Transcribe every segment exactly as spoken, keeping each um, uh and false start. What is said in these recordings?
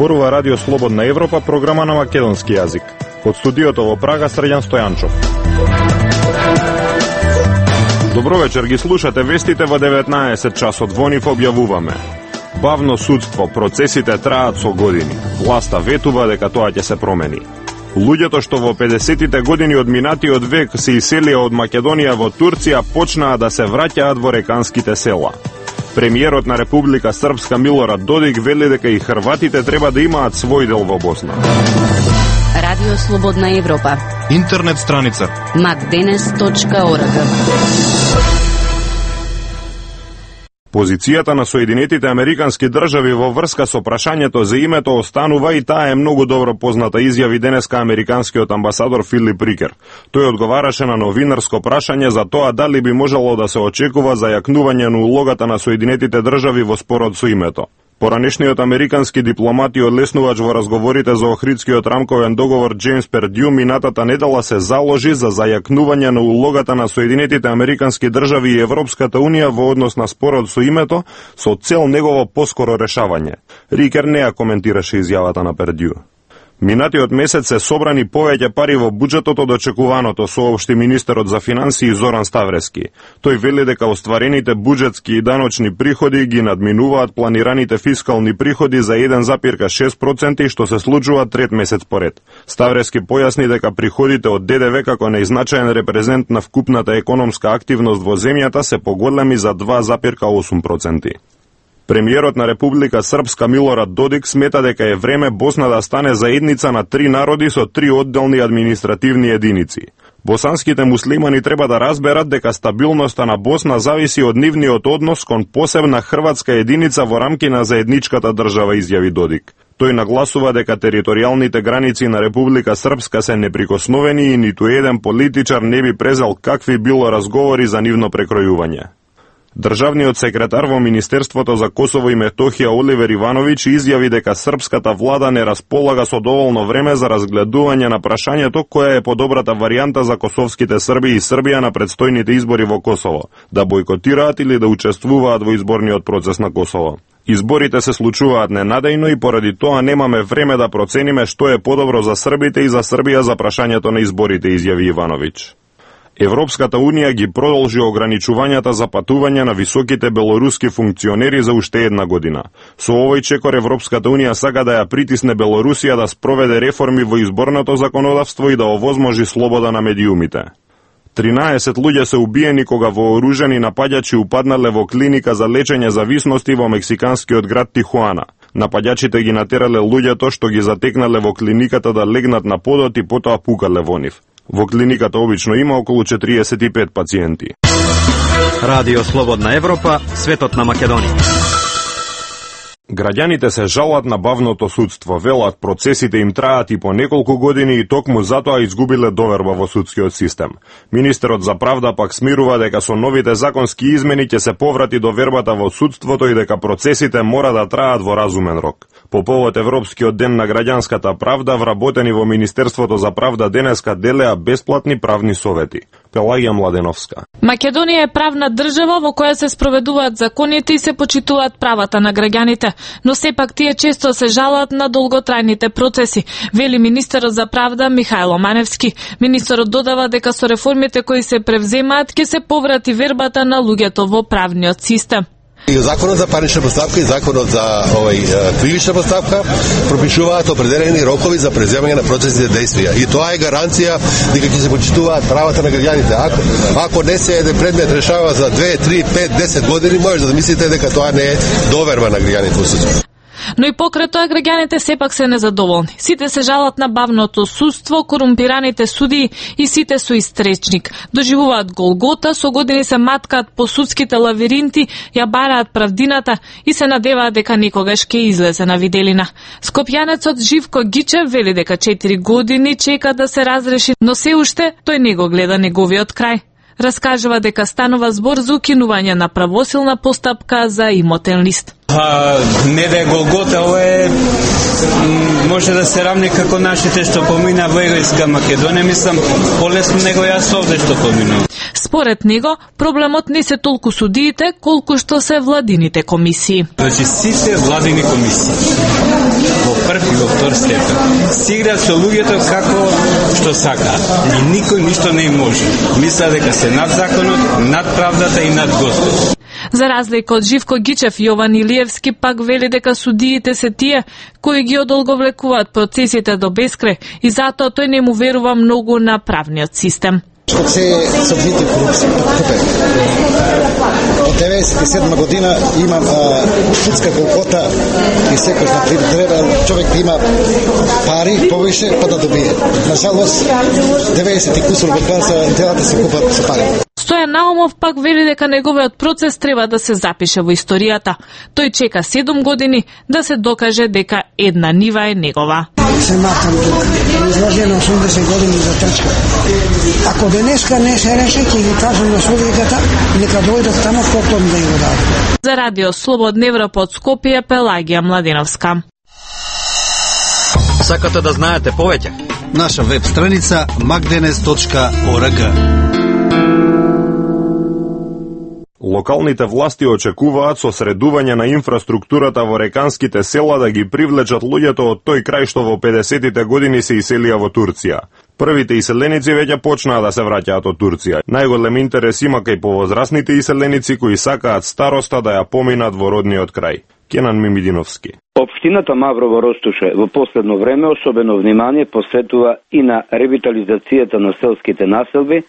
Зборува Радио Слободна Европа, програма на македонски јазик. Од студиото во Прага, Срđan Стојанчов. Добро вечер, ги слушате вестите во деветнаесет часот. Во нив објавуваме: бавно судство, процесите траат со години. Власта ветува дека тоа ќе се промени. Луѓето што во педесетите години од минатиот век се иселија од Македонија во Турција почнаа да се враќаат во реканските села. Премиерот на Република Српска Милорад Додик вели дека и хрватите треба да имаат свој дел во Босна. Радио Слободна Европа. Интернет страница макденес точка орг. Позицијата на Соединетите Американски држави во врска со прашањето за името останува и таа е многу добро позната, изјави денеска американскиот амбасадор Филип Рикер. Тој одговараше на новинарско прашање за тоа дали би можело да се очекува зајакнување на улогата на Соединетите држави во спорот со името. Поранешниот американски дипломат и одлеснувач во разговорите за Охридскиот рамковен договор Джеймс Пердју минатата недела се заложи за зајакнување на улогата на Соединетите Американски држави и Европската унија во однос на спорот со името, со цел негово поскоро решавање. Рикер не ја коментираше изјавата на Пердју. Минатиот месец се собрани повеќе пари во буџетот од очекуваното, соопшти министерот за финансии Зоран Ставрески. Тој вели дека остварените буџетски и даночни приходи ги надминуваат планираните фискални приходи за еден запирка шест проценти, што се случува трет месец поред. Ставрески појасни дека приходите од Д Д В како најзначаен репрезент на вкупната економска активност во земјата се поголеми за два запирка осум проценти. Премиерот на Република Српска Милорад Додик смета дека е време Босна да стане заедница на три народи со три одделни административни единици. Босанските муслимани треба да разберат дека стабилноста на Босна зависи од нивниот однос кон посебна хрватска единица во рамки на заедничката држава, изјави Додик. Тој нагласува дека територијалните граници на Република Српска се неприкосновени и ниту еден политичар не би презел какви било разговори за нивно прекројување. Државниот секретар во Министерството за Косово и Метохија Оливер Ивановиќ изјави дека српската влада не располага со доволно време за разгледување на прашањето која е подобрата варијанта за косовските срби и Србија на предстојните избори во Косово, да бойкотираат или да учествуваат во изборниот процес на Косово. Изборите се случуваат ненадејно и поради тоа немаме време да процениме што е подобро за србите и за Србија за прашањето на изборите, изјави Ивановиќ. Европската унија ги продолжи ограничувањата за патување на високите белоруски функционери за уште една година. Со овој чекор Европската унија сака да ја притисне Белорусија да спроведе реформи во изборното законодавство и да овозможи слобода на медиумите. тринаесет луѓе се убиени кога вооружени напаѓачи упаднале во клиника за лечење зависности во мексиканскиот град Тихуана. Напаѓачите ги натерале луѓето што ги затекнале во клиниката да легнат на подот и потоа пукале во нив. Во клиниката обично има околу четириесет и пет пациенти. Радио Слободна Европа, светот на Македонија. Граѓаните се жалат на бавното судство, велат процесите им траат и по неколку години и токму затоа изгубиле доверба во судскиот систем. Министерот за правда пак смирува дека со новите законски измени ќе се поврати довербата во судството и дека процесите мора да траат во разумен рок. По повод Европскиот ден на граѓанската правда, вработени во Министерството за правда денеска делеа бесплатни правни совети. Пелагија Младеновска. Македонија е правна држава во која се спроведуваат законите и се почитуваат правата на граѓаните, но сепак тие често се жалат на долготрајните процеси, вели министерот за правда Михајло Маневски. Министерот додава дека со реформите кои се превземаат ќе се поврати вербата на луѓето во правниот систем. И законот за парнична постапка и законот за овој кривична постапка пропишуваат определени рокови за преземање на процесните действија. И тоа е гаранција дека ќе се почитуваат правата на граѓаните. Ако ако не се еден предмет решава за две, три, пет, десет години, може да мислите дека тоа не е доверба на граѓаните во судството. Но и покрај тоа граѓаните сепак се незадоволни. Сите се жалат на бавното судство, корумпираните судии и сите со истречник. Доживуваат голгота, со години се маткаат по судските лавиринти, ја бараат правдината и се надеваат дека никогаш ќе излезе на виделина. Скопјанецот Живко Гичев вели дека четири години чека да се разреши, но се уште тој не го гледа неговиот крај. Раскажува дека станува збор за укинување на правосилна постапка за имотен лист. Па, не да е Голгота, ова е може да се рамни како нашите што помина во Егојска Македонија, мислам, полесно него јас овде што поминувам. Според него, проблемот не се толку судиите, колку што се владините комисии. Значи, сите владини комисии, во прв и во втор степен, си играат со луѓето како што сака. И никој ништо не им може. Мисля дека се над законот, над правдата и над Господ. За разлика од Живко Гичев, Јован Илиевски пак вели дека судиите се тие кои ги одолговлекуваат процесите до бескрај и затоа тој не му верува многу на правниот систем. Што се се обвинети корупција, купе. Од деветдесет и седма година имам а, судска голгота и секој на пример треба човек да има пари повише па да добие. На жалост деветдесет и кусур година делата се купат со пари. Стојан Наумов пак вели дека неговиот процес треба да се запише во историјата. Тој чека седум години да се докаже дека една нива е негова. Се матам тука, изложено осумдесет години за трчка. Ако денеска не се реше, ќе ги кажам на судијата, нека дојдат тамо потом да ја го дадат. За Радио Слободна Европа од Скопје, Пелагија Младиновска. Сакате да знаете повеќе? Наша веб страница макденес точка орг. Локалните власти очекуваат со средување на инфраструктурата во реканските села да ги привлечат луѓето од тој крај што во педесетите години се иселија во Турција. Првите иселеници веќе почнаа да се враќаат од Турција. Најголем интерес има кај повозрасните иселеници кои сакаат староста да ја поминат во родниот крај. Кенан Мимидиновски. Општината Маврово Ростуше во последно време особено внимание посветува и на ревитализацијата на селските населби,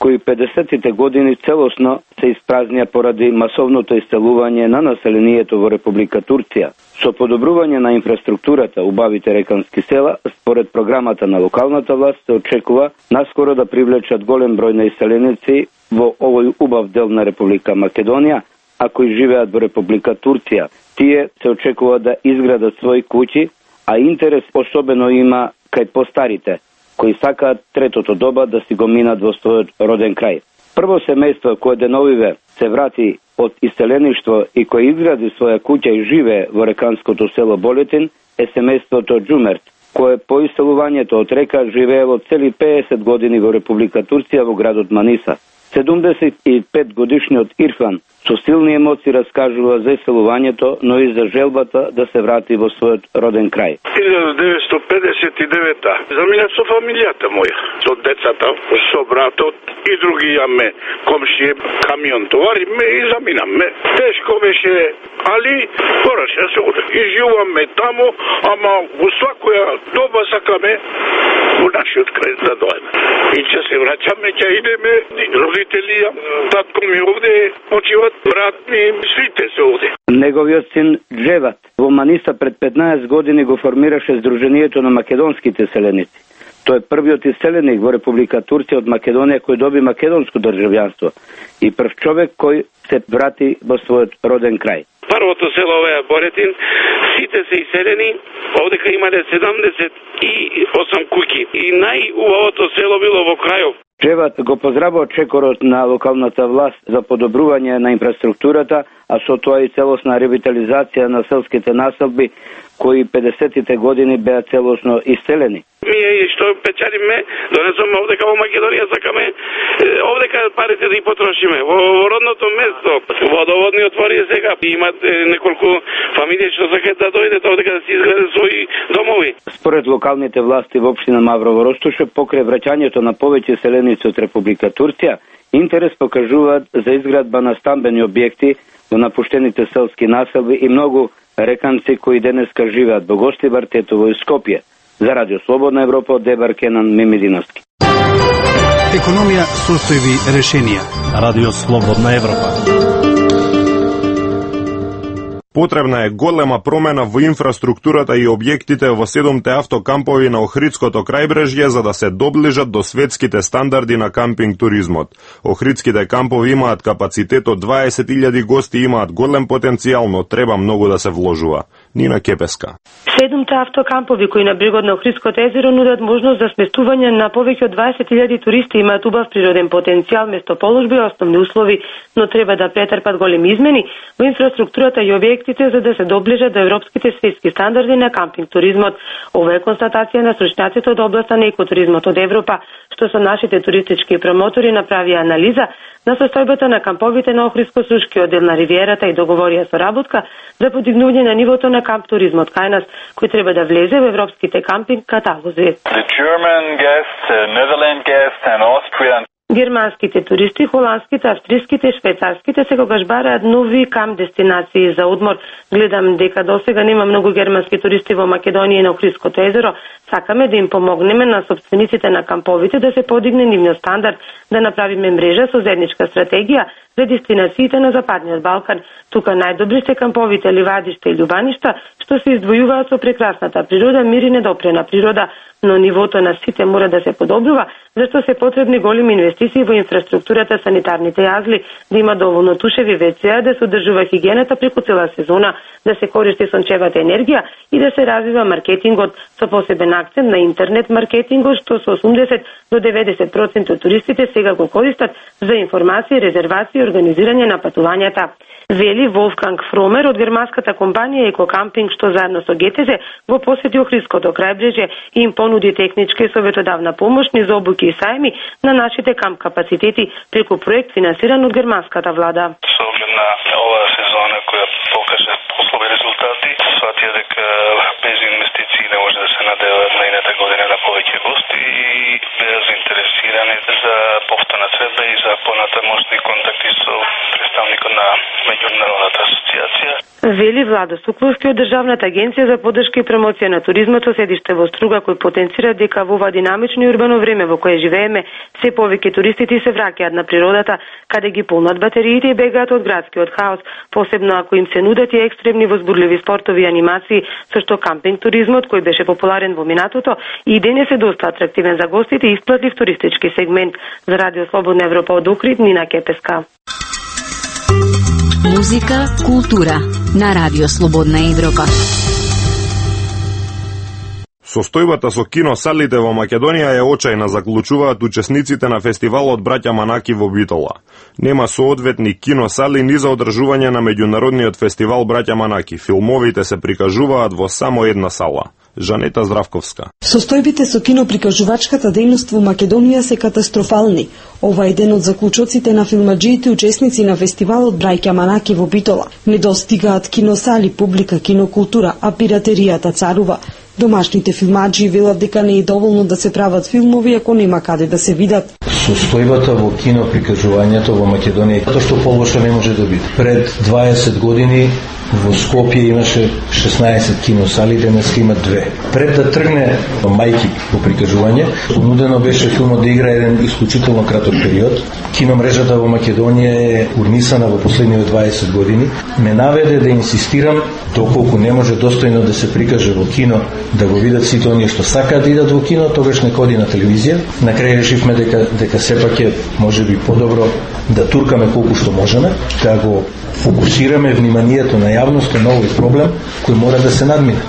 кои педесетите години целосно се испразнија поради масовното иселување на населението во Република Турција. Со подобрување на инфраструктурата убавите рекански села, според програмата на локалната власт се очекува наскоро да привлечат голем број на иселеници во овој убав дел на Република Македонија, а кои живеат во Република Турција. Тие се очекува да изградат своји куќи, а интерес особено има кај постарите, кои сакаат третото доба да си го минат во својот роден крај. Прво семејство кое деновиве се врати од иселеништво и кој изгради своја куќа и живее во реканското село Болетин е семејството Џумерт, кое по иселувањето од река живеело цели педесет години во Република Турција во градот Маниса. седумдесет и пет годишниот Ирфан со силни емоции раскажува за иселувањето, но и за желбата да се врати во својот роден крај. илјада деветстотини педесет и девета замина со фамилијата моја, со децата, со братот и други јаме комши, камион товариме и заминаме. Тешко беше, али пораше да се оде. И живуваме таму, ама во свакоја доба сакаме во нашиот крај да дојдеме. И ќе се враќаме, ќе идеме, родители, татко ми овде почиват, брат ми, сите се овде. Неговиот син Джеват во Маниса пред петнаесет години го формираше Сдруженијето на македонските селеници. Тој е првиот иселеник во Република Турција од Македонија кој доби македонско државјанство и прв човек кој се врати во својот роден крај. Првото село е Боретин, сите се иселени, овдека имале седумдесет и осум куќи и најубавото село било во крајов. Джеват го поздравува чекорот на локалната власт за подобрување на инфраструктурата, а со тоа и целосна ревитализација на селските населби кои педесетите години беа целосно иселени. Ние што печалиме, донесоме овдека во Македонија, сакаме овдека парите да ги потрошиме. Во родното место, водоводни отвори сега, имат неколку фамилии што сакаат да дојдат овдека да си изградат своји домови. Според локалните власти во општина Маврово Ростуше, покрај враќањето на повеќе селеници од Република Турција, интерес покажуваат за изградба на стамбени објекти во напуштените селски населби и многу реканци кои денеска живеат во Гостибар, Тетово и Скопје. За Радио Слободна Европа од Дебар Кенан Мимидиновски. Економија, состојби, решенија. Радио Слободна Европа. Потребна е голема промена во инфраструктурата и објектите во седумте автокампови на Охридското крајбрежје за да се доближат до светските стандарди на кампинг туризмот. Охридските кампови имаат капацитет од дваесет илјади гости и имаат голем потенцијал, но треба многу да се вложува. Нина Кепеска. Седумте автокампови кои на брегот на Охридското езеро нудат можност за сместување на повеќе од дваесет илјади туристи, имаат убав природен потенцијал, местоположба и основни услови, но треба да претрпат големи измени во инфраструктурата и објектите за да се доближат до европските светски стандарди на кампинг туризмот. Ова е констатација на стручњаците од областа на екотуризмот од Европа, што со нашите туристички промотори направија анализа на состојбата на камповите на Охридско-Сушкиот дел на ривиерата и договорија соработка за подигнување на нивото на камп туризмот кај нас, кој треба да влезе во европските кампинг каталози. The German guests, uh, Netherlands guests and Austrian Германските туристи, холандските, австриските и швајцарските секогаш бараат нови камп дестинации за одмор. Гледам дека досега нема многу германски туристи во Македонија и на Охридското езеро. Сакаме да им помогнеме на собствениците на камповите да се подигне нивниот стандард, да направиме мрежа со заедничка стратегија за дестинациите на Западниот Балкан. Тука најдобри се камповите ливадишта и љубаништа, што се издвојуваат со прекрасната природа, мир и недопрена природа, но нивото на сите мора да се подобрува, зашто се потребни големи инвестиции во инфраструктурата, санитарните јазли, да има доволно тушеви вецеа, да се одржува хигиената преку цела сезона, да се користи сончевата енергија и да се развива маркетингот со посебен акцент на интернет маркетингот, што со осумдесет до деветдесет проценти од туристите сега го користат за информации, резервации и организирање на патувањата. Вели Волфганг Фромер од германската компанија Екокампинг, што заедно со ГТЗ го посети Охридското крајбрежје и им понуди техничка и советодавна помош низ обуки и сајми на нашите камп капацитети преку проект финансиран од германската влада. Со оглед на оваа сезона која покаже послови резултати, сватија дека без инвестиции не може да се надеваат најната година на повеќе гости и беа заинтересирани за повторна средба и за понатамошни контакти со представникот на Меѓународната асоциација. Вели Владо Сукловски од Државната агенција за поддршка и промоција на туризмот со седиште во Струга, кој потенцира дека во ова динамично и урбано време во кое живееме, се повеќе туристите се враќаат на природата, каде ги полнат батериите и бегаат од градскиот хаос, посебно ако им се нудат и екстремни возбудливи спортови и анимации, со што кампинг туризмот, кој беше популарен во минатото, и денес е доста атрактивен за гостите и исплатлив туристички сегмент. За Радио Слободна Европа од Охрид, Нина Кепеска. Музика, култура на Радио Слободна Европа. Состојбата со киносалите во Македонија е очајна, заклучуваат учесниците на фестивалот Браќа Манаки во Битола. Нема соодветни киносали ни за одржување на меѓународниот фестивал Браќа Манаки. Филмовите се прикажуваат во само една сала. Жанета Здравковска. Состојбите со киноприкажувачката дејност во Македонија се катастрофални. Ова е ден од заклучоците на филмаджиите учесници на фестивалот Браќа Манаки во Битола. Не достигаат киносали, публика, кинокултура, а пиратеријата царува. Домашните филмаджи велат дека не е доволно да се прават филмови ако нема каде да се видат. Состојбата во киноприкажувањето во Македонија, затоа што полоша не може да биде. Пред дваесет години во Скопје имаше шеснаесет киносали, денес има две. Пред да тргне мајки во прикажување, понудено беше филмот да игра еден исклучително краток период. Киномрежата во Македонија е урнисана во последниве дваесет години. Ме наведе да инсистирам, доколку не може достојно да се прикаже во кино, да го видат сите оние што сакаат да идат во кино, тогаш нека оди на телевизија. На крај решивме дека дека сепак е можеби подобро да туркаме колку што можеме, да го фокусираме вниманието на јавноста на овој проблем кој мора да се надмине.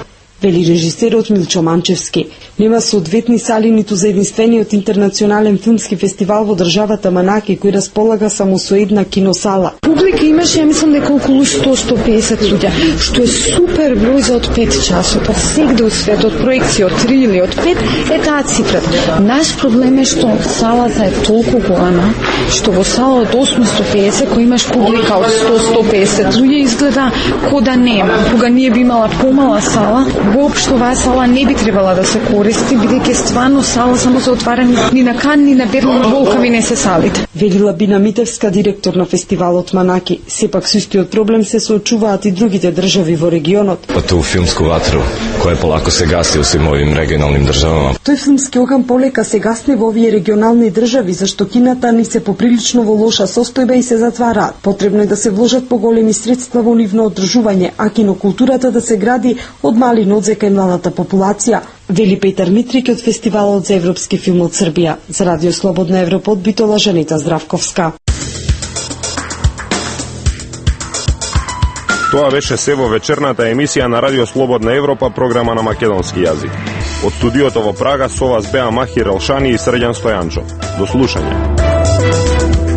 Вели режисерот Милчо Манчевски. Нема соодветни сали ниту за единствениот интернационален филмски фестивал во државата Манаки, кој располага само со една киносала. Публика имаше, ја мислам дека околу сто до сто песет луѓе, што е супер број за од пет часот. Сегде од светот, проекција од три или од пет е таа цифра. Наш проблем е што салата е толку голема, што во сала од осумстотини и песет, кој имаш публика од сто до сто песет луѓе, изгледа ко да нема. Кога ние би имала помала сала, воопшто оваа сала не би требала да се користи, бидејќи стварно сала само за отварани ни на Кан, ни на Берлин, волкави не се салите. Велила Бина Митевска, директор на фестивалот Манаки. Сепак со истиот проблем се соочуваат и другите држави во регионот. Ту филмску ватру, која полако се гаси во сим овим регионалним државама. Тој филмски оган полека се гасне во овие регионални држави, зашто кината ни се поприлично во лоша состојба и се затвараат. Потребно е да се вложат поголеми средства во нивно одржување, а кинокултурата да се гради од мали нодзе кај младата популација, вели Петар Митрик од фестивалот за европски филм од Србија. За Радио Слободна Европа од Битола, Жанета Здравковска. Тоа беше се во вечерната емисија на Радио Слободна Европа, програма на македонски јазик. Од студиото во Прага со вас беа Махир Елшани и Срđan Стојанчов. До слушање.